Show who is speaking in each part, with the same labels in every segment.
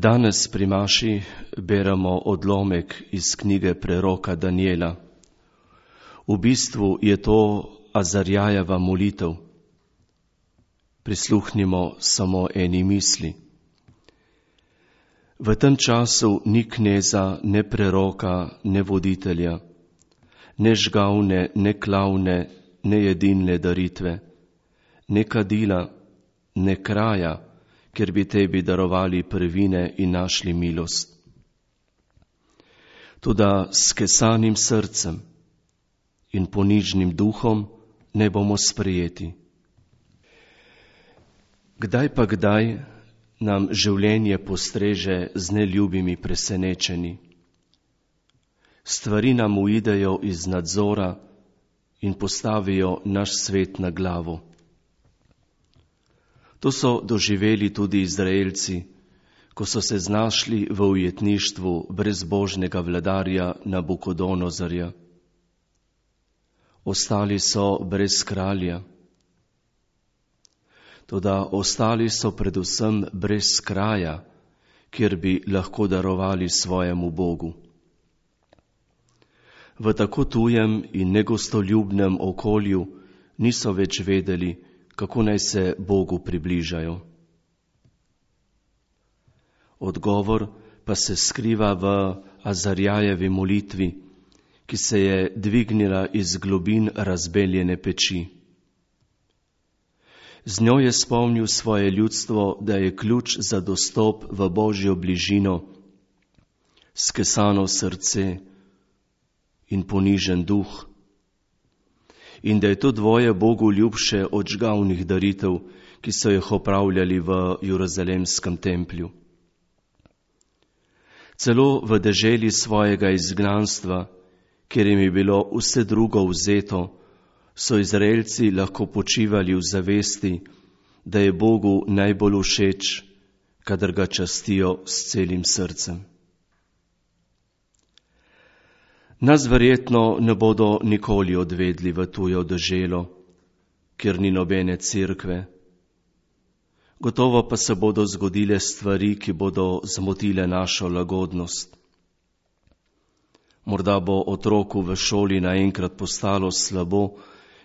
Speaker 1: Danes pri maši beremo odlomek iz knjige preroka Danijela. V bistvu je to Azarjajeva molitev. Prisluhnimo samo eni misli. V tem času ni kneza, ne preroka, ne voditelja, ne žgavne, ne klavne, ne jedilne daritve, ne kadila, ne kraja, ker bi tebi darovali prvine in našli milost. Toda s kesanim srcem in ponižnim duhom ne bomo sprejeti. Kdaj nam življenje postreže z neljubimi presenečenji. Stvari nam uidejo iz nadzora in postavijo naš svet na glavo. To so doživeli tudi Izraelci, ko so se znašli v ujetništvu brezbožnega vladarja Nabukodonozarja. Ostali so brez kralja. Toda ostali so predvsem brez kraja, kjer bi lahko darovali svojemu Bogu. V tako tujem in negostoljubnem okolju niso več vedeli, kako naj se Bogu približajo. Odgovor pa se skriva v Azarjajevi molitvi, ki se je dvignila iz globin razbeljene peči. Z njo je spomnil svoje ljudstvo, da je ključ za dostop v Božjo bližino, skesano srce in ponižen duh, in da je to dvoje Bogu ljubše od žgavnih daritev, ki so jih opravljali v Jeruzalemskem templju. Celo v deželi svojega izgnanstva, kjer jim je bilo vse drugo vzeto, so Izraelci lahko počivali v zavesti, da je Bogu najbolj všeč, kadar ga častijo s celim srcem. Nas verjetno ne bodo nikoli odvedli v tujo deželo, kjer ni nobene cerkve. Gotovo pa se bodo zgodile stvari, ki bodo zmotile našo lagodnost. Morda bo otroku v šoli naenkrat postalo slabo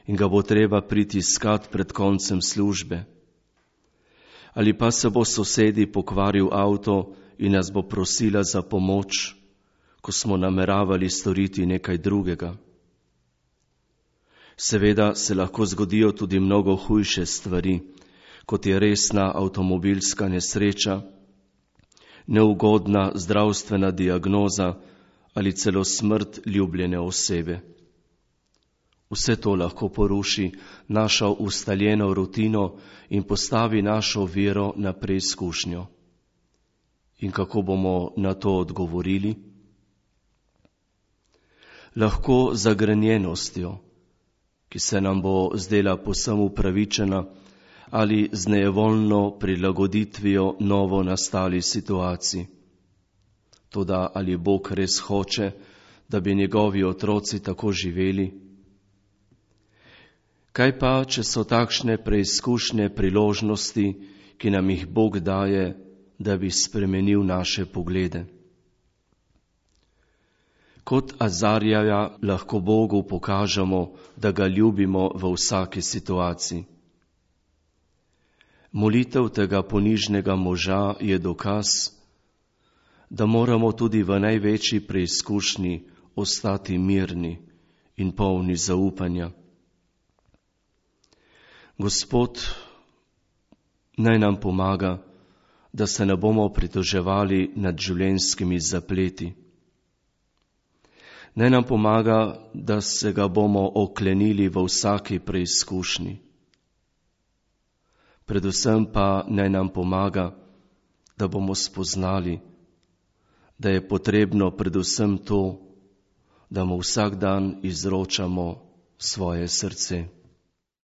Speaker 1: in ga bo treba priti iskat pred koncem službe. Ali pa se bo sosedi pokvaril avto in nas bo prosila za pomoč, ko smo nameravali storiti nekaj drugega. Seveda se lahko zgodijo tudi mnogo hujše stvari, kot je resna avtomobilska nesreča, neugodna zdravstvena diagnoza ali celo smrt ljubljene osebe. Vse to lahko poruši našo ustaljeno rutino in postavi našo vero na preizkušnjo. In kako bomo na to odgovorili? Lahko z zagrenjenostjo, ki se nam bo zdela povsem upravičena, ali z nejevoljno prilagoditvijo novo nastali situaciji. Toda ali Bog res hoče, da bi njegovi otroci tako živeli? Kaj pa, če so takšne preizkušnje priložnosti, ki nam jih Bog daje, da bi spremenil naše poglede? Kot Azarjaja lahko Bogu pokažemo, da ga ljubimo v vsaki situaciji. Molitev tega ponižnega moža je dokaz, da moramo tudi v največji preizkušnji ostati mirni in polni zaupanja. Gospod naj nam pomaga, da se ne bomo pritoževali nad življenjskimi zapleti. Naj nam pomaga, da se ga bomo oklenili v vsaki preizkušnji. Predvsem pa naj nam pomaga, da bomo spoznali, da je potrebno predvsem to, da mu vsak dan izročamo svoje srce.